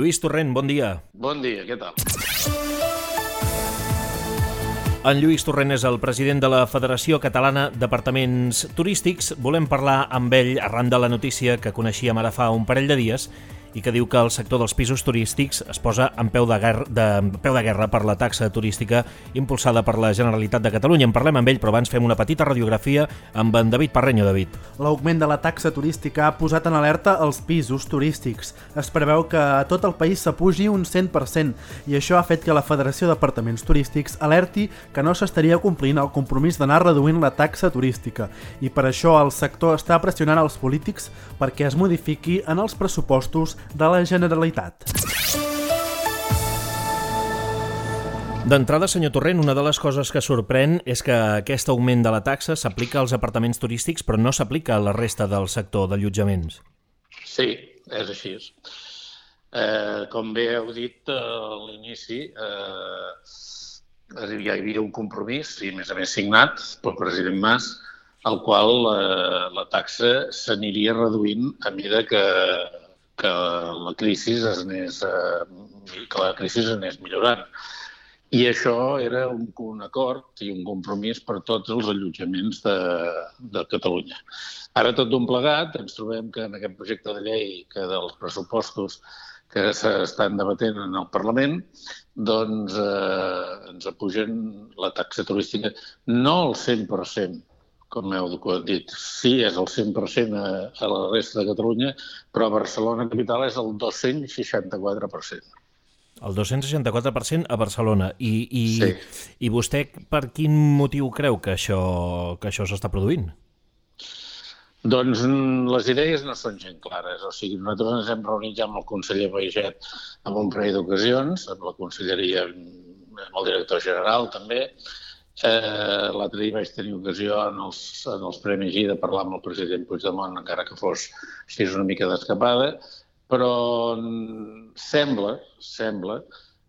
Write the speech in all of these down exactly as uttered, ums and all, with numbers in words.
Lluís Torrent, bon dia. Bon dia, què tal? En Lluís Torrent és el president de la Federació Catalana d'Apartaments Turístics. Volem parlar amb ell arran de la notícia que coneixíem ara fa un parell de dies i que diu que el sector dels pisos turístics es posa en peu de guerra, de, peu de guerra per la taxa turística impulsada per la Generalitat de Catalunya. En parlem amb ell, però abans fem una petita radiografia amb en David Parreño. David. L'augment de la taxa turística ha posat en alerta els pisos turístics. Es preveu que a tot el país s'apugi un cent per cent i això ha fet que la Federació d'Apartaments Turístics alerti que no s'estaria complint el compromís d'anar reduint la taxa turística i per això el sector està pressionant els polítics perquè es modifiqui en els pressupostos de la Generalitat. D'entrada, senyor Torrent, una de les coses que sorprèn és que aquest augment de la taxa s'aplica als apartaments turístics però no s'aplica a la resta del sector d'allotjaments. Sí, és així. Eh, com bé heu dit a l'inici, eh, hi havia un compromís, i a més a més signat pel president Mas, al qual eh, la taxa s'aniria reduint a mesura que que la crisi es anés, eh, que la crisi es anés millorant. I això era un, un acord i un compromís per tots els allotjaments de, de Catalunya. Ara, tot d'un plegat, ens trobem que en aquest projecte de llei que dels pressupostos que s'estan debatent en el Parlament, doncs eh, ens apugen la taxa turística no al cent per cent, com heu dit. Sí, és el cent per cent a, a la resta de Catalunya, però a Barcelona capital és el dos-cents seixanta-quatre per cent. El dos-cents seixanta-quatre per cent a Barcelona. I, i, sí. I vostè per quin motiu creu que això, que això s'està produint? Doncs les idees no són gent clares. O sigui, nosaltres ens hem reunit ja amb el conseller Baiget en un parell d'ocasions, amb la conselleria, amb el director general també. Eh, L'altre dia vaig tenir ocasió en els, en els Premis G I de parlar amb el president Puigdemont, encara que fos així una mica d'escapada, però sembla, sembla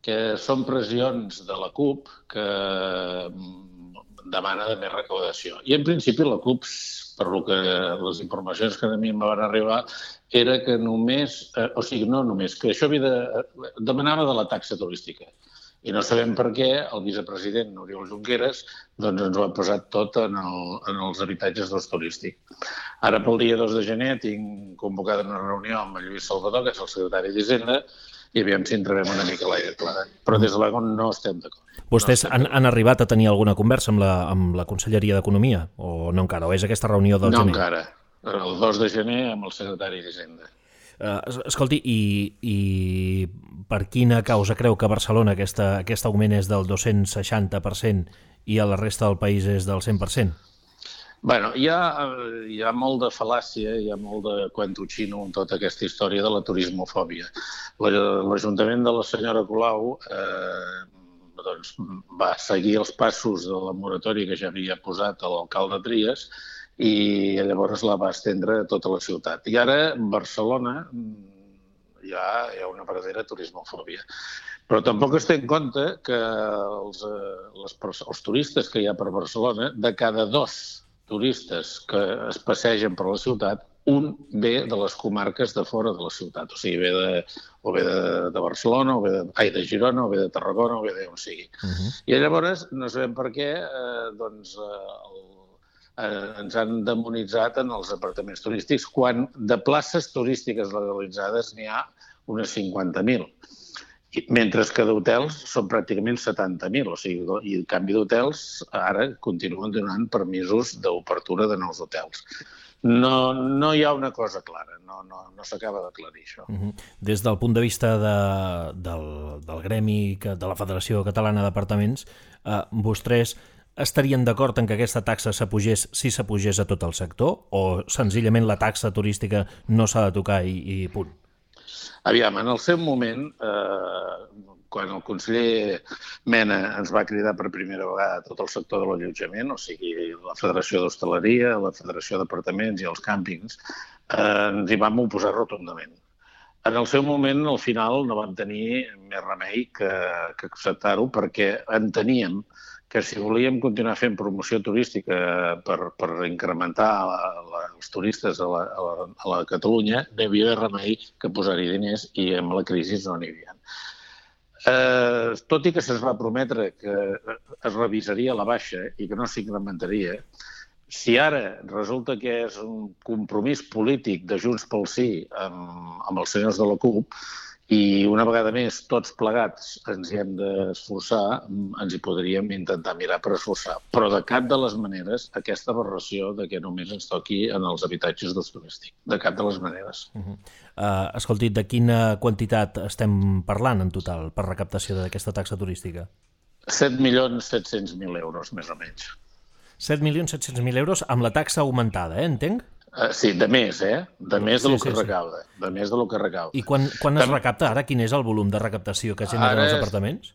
que són pressions de la CUP que demana de més recaudació. I en principi la CUP, per lo que les informacions que a mi em van arribar, era que només, eh, o sigui, no només, que això havia de, demanava de la taxa turística. I no sabem per què el vicepresident Oriol Junqueras doncs ens ho ha posat tot en, el, en els habitatges d'ús turístic. Ara, pel dia dos de gener, tinc convocada una reunió amb el Lluís Salvador, que és el secretari d'Hisenda, i aviam si en trobem una mica l'aire clar. Però des de l'Egon no estem d'acord. Vostès no estem han, han arribat a tenir alguna conversa amb la, amb la Conselleria d'Economia? O no encara? O és aquesta reunió del no gener? No encara. El dos de gener amb el secretari d'Hisenda. Uh, escolti, i, i per quina causa creu que a Barcelona aquesta, aquest augment és del dos-cents seixanta per cent i a la resta del país és del cent per cent? Bueno, hi ha, hi ha molt de fal·làcia, hi ha molt de cuento xino en tota aquesta història de la turismofòbia. L'Ajuntament de la senyora Colau eh, doncs, va seguir els passos de la moratòria que ja havia posat l'alcalde Trias i llavors la va estendre a tota la ciutat. I ara, a Barcelona, hi ha, hi ha una verdadera turismofòbia. Però tampoc es té en compte que els, les, els turistes que hi ha per Barcelona, de cada dos turistes que es passegen per la ciutat, un ve de les comarques de fora de la ciutat. O sigui, ve de, o ve de, de Barcelona, o ve de, ai, de Girona, o ve de Tarragona, o ve d'on sigui. Uh-huh. I llavors, no sabem per què, eh, doncs, el Eh, ens han demonitzat en els apartaments turístics quan de places turístiques legalitzades n'hi ha unes cinquanta mil. Mentre que d'hotels són pràcticament setanta mil. O sigui, i en canvi d'hotels ara continuen donant permisos d'obertura de nous hotels. No, no hi ha una cosa clara, no, no, no s'acaba d'aclarir això. Uh-huh. Des del punt de vista de, del, del gremi de la Federació Catalana d'Apartaments, eh, vostès estarien d'acord en que aquesta taxa s'apugés si s'apugés a tot el sector o senzillament la taxa turística no s'ha de tocar i, i punt? Aviam, en el seu moment, eh, quan el conseller Mena ens va cridar per primera vegada a tot el sector de l'allotjament, o sigui, la Federació d'Hostaleria, la Federació d'Apartaments i els càmpings, eh, ens hi vam oposar rotundament. En el seu moment, al final, no vam tenir més remei que, que acceptar-ho perquè enteníem que si volíem continuar fent promoció turística per, per incrementar la, la, els turistes a la, a, la, a la Catalunya, no hi havia remei que posar-hi diners i amb la crisi no n'hi havia. Eh, tot i que se'ns va prometre que es revisaria la baixa i que no s'incrementaria, si ara resulta que és un compromís polític de Junts pel Sí amb, amb els senyors de la CUP, i una vegada més, tots plegats ens hi hem d'esforçar, ens hi podríem intentar mirar per esforçar. Però de cap de les maneres aquesta aberració de que només ens toqui en els habitatges d'ús turístic. De cap de les maneres. Uh-huh. uh, escolti, de quina quantitat estem parlant en total per recaptació d'aquesta taxa turística? set milions set-cents mil euros, més o menys. set milions set-cents mil euros amb la taxa augmentada, eh? Entenc? Uh, sí, de més, eh? De més de sí, lo que sí, recauda. Sí. De més de lo que recauda. I quan, quan es recapta ara? Quin és el volum de recaptació que generen els apartaments?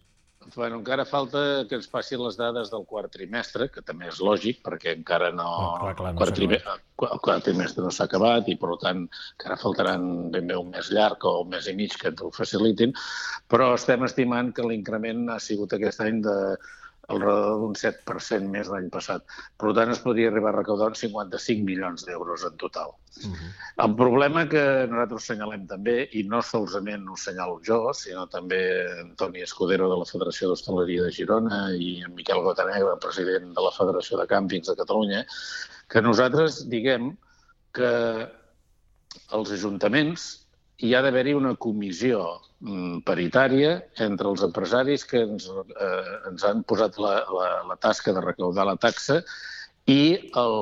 Bueno, encara falta que ens passin les dades del quart trimestre, que també és lògic, perquè encara no... Oh, clar, clar, no quart trimestre, el quart trimestre no s'ha acabat i, per tant, encara faltaran ben bé un mes llarg o un mes i mig que ens ho facilitin, però estem estimant que l'increment ha sigut aquest any de al redor d'un set per cent més l'any passat. Per tant, es podria arribar a recaudar uns cinquanta-cinc milions d'euros en total. Uh-huh. El problema que nosaltres assenyalem també, i no solament ho assenyalo jo, sinó també Antoni Escudero de la Federació d'Hostaleria de Girona i en Miquel Gotanegra, president de la Federació de Càmpings de Catalunya, que nosaltres diguem que els ajuntaments hi ha d'haver-hi una comissió paritària entre els empresaris que ens, eh, ens han posat la, la, la tasca de recaudar la taxa i el,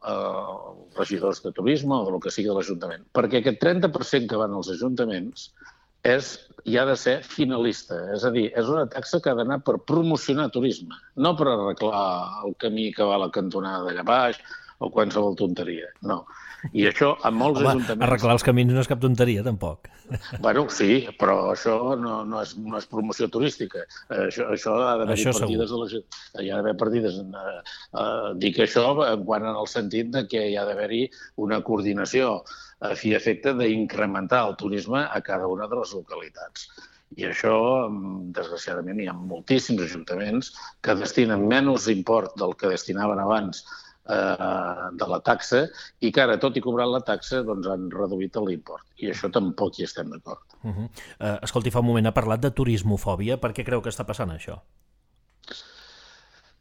eh, els regidors de turisme o del que sigui de l'Ajuntament. Perquè aquest trenta per cent que van als ajuntaments és, hi ha de ser finalista. És a dir, és una taxa que ha d'anar per promocionar turisme, no per arreglar el camí que va a la cantonada d'allà baix o qualsevol tonteria, no. I això a molts Home, ajuntaments... arreglar els camins no és cap tonteria, tampoc. Bueno, sí, però això no, no, és, no és promoció turística. Això, això ha d'haver-hi partides... La, hi ha d'haver partides... Eh, eh, dic això quan en el sentit de que hi ha d'haver-hi una coordinació a fi efecte d'incrementar el turisme a cada una de les localitats. I això, desgraciadament, hi ha moltíssims ajuntaments que destinen menys import del que destinaven abans de la taxa i que ara, tot i cobrant la taxa, doncs han reduït l'import. I això tampoc hi estem d'acord. Uh-huh. uh, escolti, fa un moment ha parlat de turismofòbia. Per què creu que està passant això?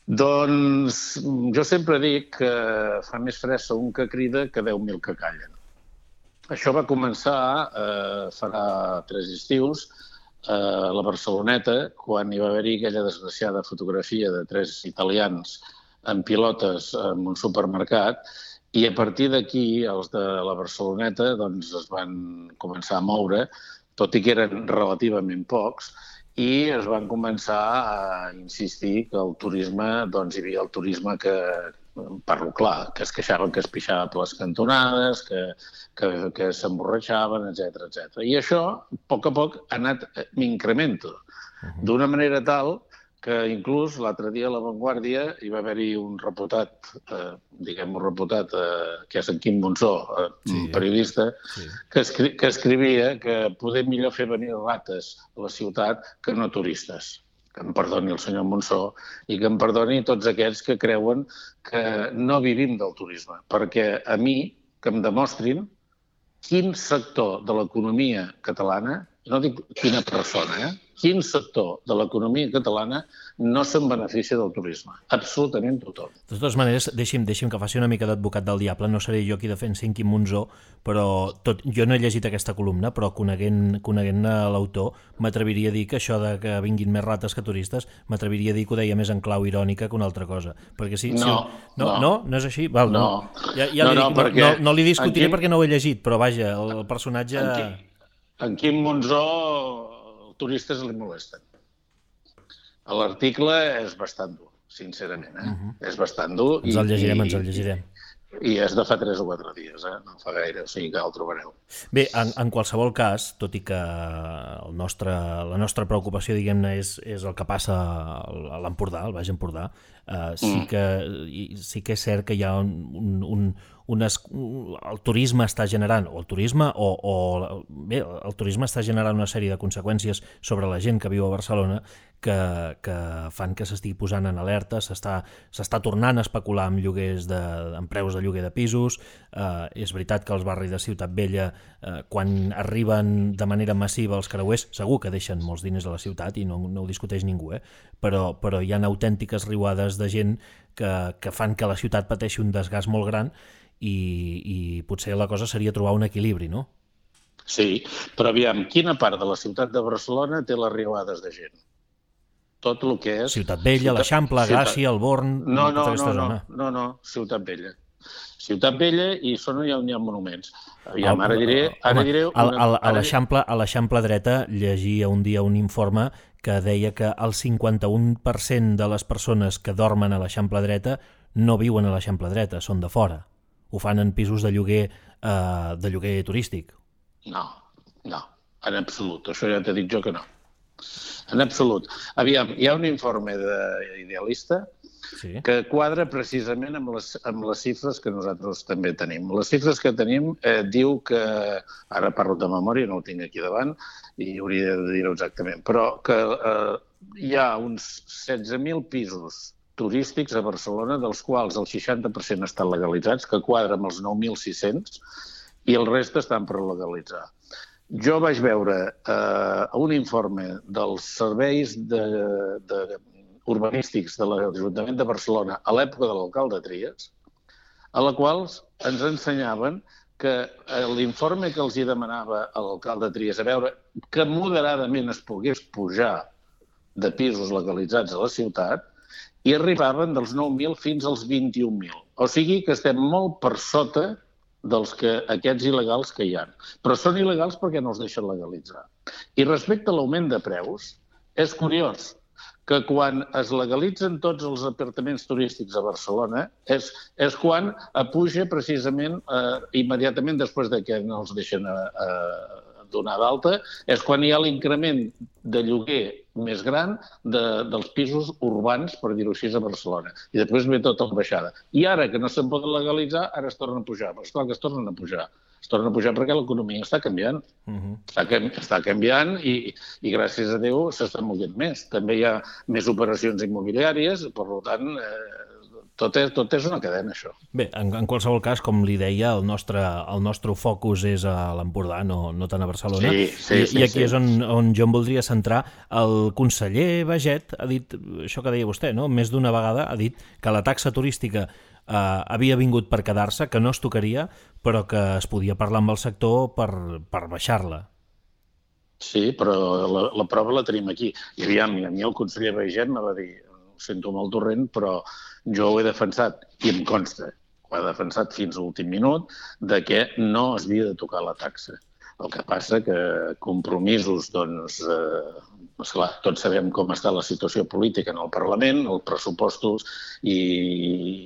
Doncs jo sempre dic que fa més fressa un que crida que deu mil que callen. Això va començar eh, farà tres estius a la Barceloneta, quan hi va haver-hi aquella desgraciada fotografia de tres italians en pilotes en un supermercat, i a partir d'aquí els de la Barceloneta doncs, es van començar a moure, tot i que eren relativament pocs, i es van començar a insistir que el turisme, doncs hi havia el turisme que, parlo clar, que es queixaven que es pixava per les cantonades, que, que, que s'emborratxaven, etcètera, etcètera. I això, a poc a poc, ha anat incremento, d'una manera tal que inclús l'altre dia a La Vanguardia hi va haver-hi un reputat, eh, diguem un reputat, eh, que és en Quim Monsó, eh, sí, periodista, sí. que, escri que escrivia que poder millor fer venir rates a la ciutat que no turistes. Que em perdoni el senyor Monsó i que em perdoni tots aquests que creuen que no vivim del turisme. Perquè a mi, que em demostrin quin sector de l'economia catalana, no dic quina persona, eh? quin sector de l'economia catalana no se'n beneficia del turisme. Absolutament tothom. De totes maneres, deixi'm, deixi'm que faci una mica d'advocat del diable. No seré jo qui defensi en Quim Monsó, però tot, jo no he llegit aquesta columna, però coneguent, coneguent l'autor, m'atreviria a dir que això de que vinguin més rates que turistes, m'atreviria a dir que ho deia més en clau irònica que una altra cosa. Perquè si, no, si, no, no, no, no és així? Val, no. no. Ja, ja no, no, dic, perquè no, no li discutiré Quim... perquè no ho he llegit, però vaja, el, el personatge... En Quim, en Quim Monsó els turistes li molesten. L'article és bastant dur, sincerament, eh? Uh-huh. És bastant dur. Ens el llegirem, i, ens el llegirem. I és de fa tres o quatre dies, eh? No fa gaire, o sigui que el trobareu. Bé, en, en qualsevol cas, tot i que el nostre, la nostra preocupació, diguem-ne, és, és el que passa a l'Empordà, al Baix Empordà, eh, sí, mm. que, sí que és cert que hi ha un, un, unes, el turisme està generant, o el turisme, o, o bé, el turisme està generant una sèrie de conseqüències sobre la gent que viu a Barcelona que, que fan que s'estigui posant en alerta, s'està s'està tornant a especular amb lloguers de, amb preus de lloguer de pisos. Eh, és veritat que els barris de Ciutat Vella, eh, quan arriben de manera massiva els creuers, segur que deixen molts diners a la ciutat i no, no ho discuteix ningú, eh? però, però hi ha autèntiques riuades de gent que, que fan que la ciutat pateixi un desgast molt gran i, i potser la cosa seria trobar un equilibri, no? Sí, però aviam, quina part de la ciutat de Barcelona té les riuades de gent? Tot el que és... Ciutat Vella, ciutat... l'Eixample, Gràcia, el Born... No, no, no, no, no, no, Ciutat Vella. Ciutat Vella i són on hi ha monuments. Aviam, ara diré... Ara diré una... A l'Eixample dreta llegia un dia un informe que deia que el cinquanta-un per cent de les persones que dormen a l'Eixample dreta no viuen a l'Eixample dreta, són de fora. Ho fan en pisos de lloguer, eh, de lloguer turístic. No, no, en absolut. Això ja t'he dit jo que no. En absolut. Aviam, hi ha un informe d'Idealista sí. que quadra precisament amb les, amb les xifres que nosaltres també tenim. Les xifres que tenim eh, diu que, ara parlo de memòria, no ho tinc aquí davant, i hauria de dir-ho exactament, però que eh, hi ha uns setze mil pisos turístics a Barcelona, dels quals el seixanta per cent estan legalitzats, que quadra amb els nou mil sis-cents, i el reste estan per legalitzar. Jo vaig veure eh, un informe dels serveis de, de urbanístics de l'Ajuntament de Barcelona a l'època de l'alcalde Trias, a la qual ens ensenyaven que l'informe que els hi demanava a l'alcalde Trias a veure que moderadament es pogués pujar de pisos legalitzats a la ciutat i arribaven dels nou mil fins als vint-i-un mil. O sigui que estem molt per sota dels que aquests il·legals que hi ha. Però són il·legals perquè no els deixen legalitzar. I respecte a l'augment de preus, és curiós que quan es legalitzen tots els apartaments turístics a Barcelona és, és quan puja precisament eh, immediatament després de que no els deixen a, a donar d'alta, és quan hi ha l'increment de lloguer més gran de, dels pisos urbans, per dir-ho així, a Barcelona. I després ve tota la baixada. I ara que no se'n poden legalitzar, ara es tornen a pujar. Però esclar que es tornen a pujar. Es tornen a pujar perquè l'economia està canviant. Uh-huh. està, està canviant i, i gràcies a Déu s'està movent més. També hi ha més operacions immobiliàries, per tant, eh, tot, és, tot és una cadena, això. Bé, en, en qualsevol cas, com li deia, el nostre, el nostre focus és a l'Empordà, no, no tant a Barcelona. Sí, sí, I, sí, i aquí sí. és on, on jo em voldria centrar. El conseller Baiget ha dit, això que deia vostè, no? Més d'una vegada ha dit que la taxa turística eh, havia vingut per quedar-se, que no es tocaria, però que es podia parlar amb el sector per, per baixar-la. Sí, però la, la prova la tenim aquí. I aviam, a mi el conseller Baiget me va dir, ho sento molt torrent, però jo ho he defensat, i em consta, ho he defensat fins a l'últim minut, de que no es havia de tocar la taxa. El que passa que compromisos, doncs, eh, esclar, tots sabem com està la situació política en el Parlament, els pressupostos i,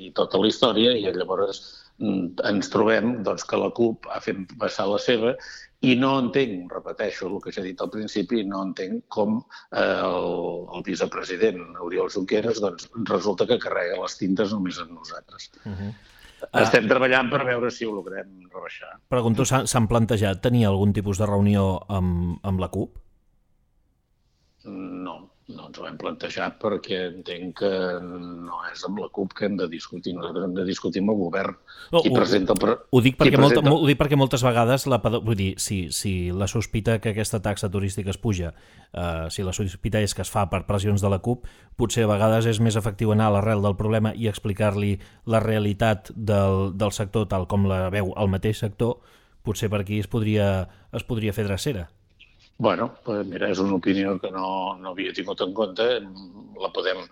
i tota la història, i llavors ens trobem doncs, que la CUP ha fet passar la seva i no entenc, repeteixo el que ja he dit al principi, no entenc com eh, el, el vicepresident Oriol Junqueras doncs, resulta que carrega les tintes només amb nosaltres. Uh-huh. Estem treballant per veure si ho logrem rebaixar. Pregunto, s'han plantejat tenir algun tipus de reunió amb, amb la CUP? No, no ens ho hem plantejat perquè entenc que no és amb la CUP que hem de discutir. Nosaltres hem de discutir amb el govern. No, qui ho, presenta el... ho, dic perquè presenta... molta, ho dic perquè moltes vegades, la, vull dir, si, si la sospita que aquesta taxa turística es puja, eh, si la sospita és que es fa per pressions de la CUP, potser a vegades és més efectiu anar a l'arrel del problema i explicar-li la realitat del, del sector tal com la veu el mateix sector, potser per aquí es podria, es podria fer drecera. Bueno, pues mira, és una opinió que no, no havia tingut en compte, la podem,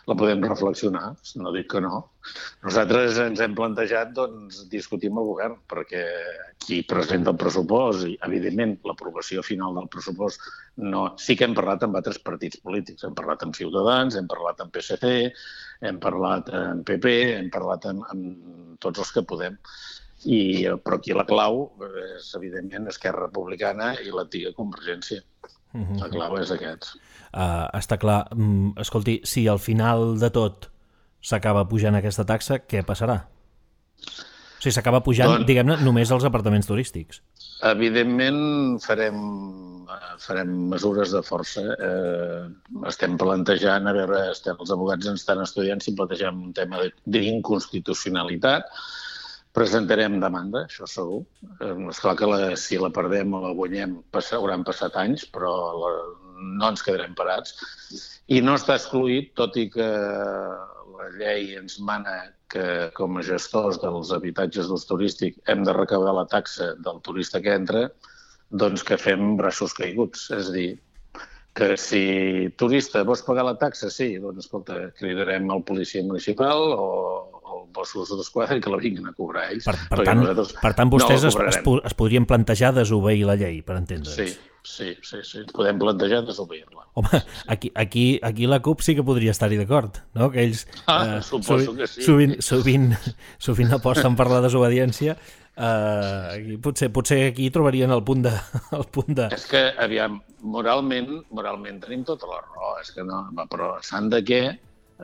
la podem reflexionar, no dic que no. Nosaltres ens hem plantejat doncs, discutir amb el govern, perquè qui presenta el pressupost, i evidentment l'aprovació final del pressupost, no... sí que hem parlat amb altres partits polítics, hem parlat amb Ciutadans, hem parlat amb P S C, hem parlat amb P P, hem parlat amb, amb tots els que podem. I, però aquí la clau és, evidentment, Esquerra Republicana i l'antiga Convergència. Uh-huh. La clau és aquest. Uh, està clar. Mm, escolti, si al final de tot s'acaba pujant aquesta taxa, què passarà? O sigui, s'acaba pujant, doncs, diguem-ne, només els apartaments turístics. Evidentment farem, farem mesures de força. Eh, estem plantejant, a veure, estem, els advocats ens estan estudiant si plantegem un tema d'inconstitucionalitat. Presentarem demanda, això segur. Eh, esclar que la, si la perdem o la guanyem pass, hauran passat anys, però la, no ens quedarem parats. I no està excluït, tot i que la llei ens mana que com a gestors dels habitatges d'ús turístic hem de recabar la taxa del turista que entra, doncs que fem braços caiguts. És a dir, que si turista vols pagar la taxa, sí, doncs escolta, cridarem el policia municipal o el Mossos d'Esquadra i que la vinguin a cobrar ells. Per, per, tant, per tant, vostès no es, es, es podrien plantejar desobeir la llei, per entendre'ns. Sí, sí, sí, sí. Podem plantejar desobeir-la. Home, aquí, aquí, aquí la CUP sí que podria estar-hi d'acord, no? Que ells ah, eh, suposo sovint, que sí. sovint, sovint, sovint aposten per la desobediència. Eh, potser, potser aquí trobarien el punt de... El punt de... És que, aviam, moralment, moralment tenim tota la raó, és que no, però s'han de què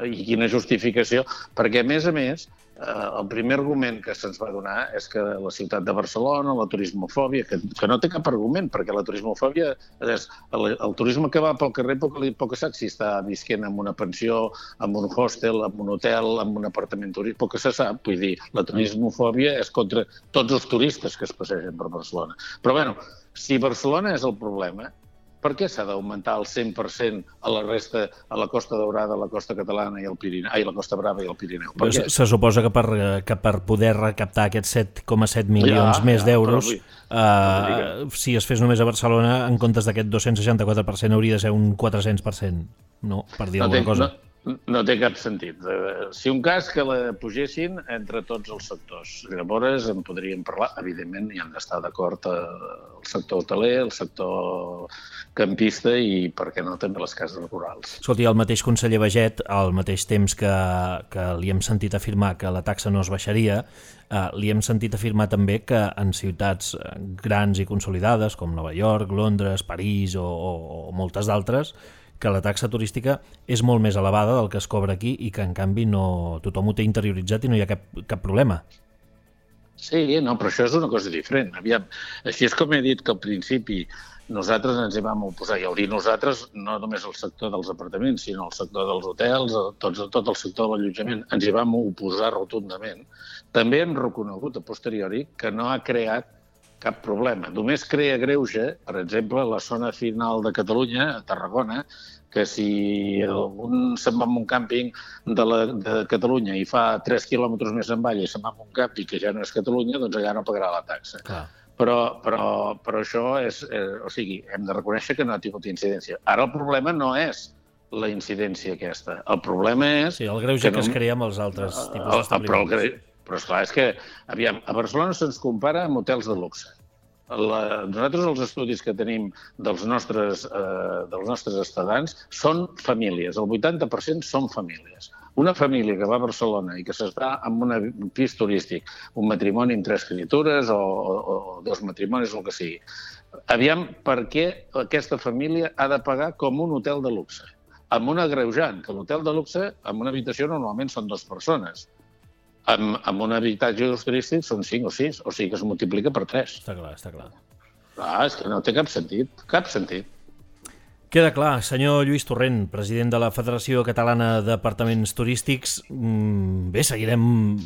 i quina justificació, perquè a més a més el primer argument que se'ns va donar és que la ciutat de Barcelona, la turismofòbia, que, que no té cap argument, perquè la turismofòbia és el, el turisme que va pel carrer poc, poc que sap si està visquent en una pensió, en un hostel, en un hotel, en un apartament turístic, poc que se sap. Vull dir, la turismofòbia és contra tots els turistes que es passegen per Barcelona. Però bueno, si Barcelona és el problema, per què s'ha d'augmentar el cent per cent a la resta, a la Costa Daurada, a la Costa Catalana i el Pirineu, ai, la Costa Brava i el Pirineu? Per se, se suposa que per, que per poder recaptar aquests set coma set milions ja, més ja, d'euros, uh, si es fes només a Barcelona, en comptes d'aquest dos-cents seixanta-quatre per cent hauria de ser un quatre-cents per cent, no? Per dir no alguna té, cosa. No, no té cap sentit. Si un cas que la pugessin entre tots els sectors, llavors en podríem parlar, evidentment hi han d'estar d'acord el sector hoteler, el sector campista i, per què no, també les cases rurals. Escolti, el mateix conseller Baiget, al mateix temps que, que li hem sentit afirmar que la taxa no es baixaria, eh, li hem sentit afirmar també que en ciutats grans i consolidades com Nova York, Londres, París o, o, o moltes d'altres, que la taxa turística és molt més elevada del que es cobra aquí i que, en canvi, no, tothom ho té interioritzat i no hi ha cap, cap problema. Sí, no, però això és una cosa diferent. Aviam, així és com he dit que al principi nosaltres ens hi vam oposar, i al dir nosaltres, no només el sector dels apartaments, sinó el sector dels hotels, tot, tot el sector de l'allotjament, ens hi vam oposar rotundament. També hem reconegut a posteriori que no ha creat cap problema. Només crea greuge, per exemple, la zona final de Catalunya, a Tarragona, que si un se'n va a un càmping de, la, de Catalunya i fa tres quilòmetres més avall i se'n va a un càmping que ja no és Catalunya, doncs allà no pagarà la taxa. Clar. Però, però, però això és... Eh, o sigui, hem de reconèixer que no ha tingut incidència. Ara el problema no és la incidència aquesta. El problema és... Sí, el greuge que, no, que es crea amb els altres tipus d'establiments. Però, però esclar, és que, aviam, a Barcelona se'ns compara amb hotels de luxe. La, nosaltres els estudis que tenim dels nostres, eh, dels nostres estadants són famílies, el vuitanta per cent són famílies. Una família que va a Barcelona i que s'està en un pis turístic, un matrimoni amb tres criatures o, o, o dos matrimonis, el que sigui. Aviam, per què aquesta família ha de pagar com un hotel de luxe? Amb un agreujant, que l'hotel de luxe, en una habitació normalment són dues persones. Amb, amb un habitatge turístic són cinc o sis, o sigui que es multiplica per tres. Està clar, està clar. Ah, és que no té cap sentit, cap sentit. Queda clar, senyor Lluís Torrent, president de la Federació Catalana d'Apartaments Turístics. Bé, seguirem,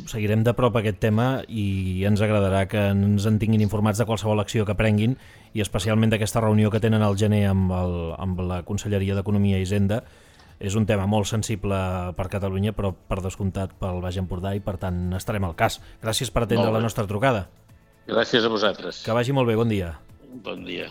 seguirem de prop aquest tema i ens agradarà que ens en tinguin informats de qualsevol acció que prenguin i especialment d'aquesta reunió que tenen al gener amb, el, amb la Conselleria d'Economia i Hisenda. És un tema molt sensible per Catalunya, però per descomptat pel Baix Empordà i, per tant, estarem al cas. Gràcies per atendre la nostra trucada. Gràcies a vosaltres. Que vagi molt bé, bon dia. Bon dia.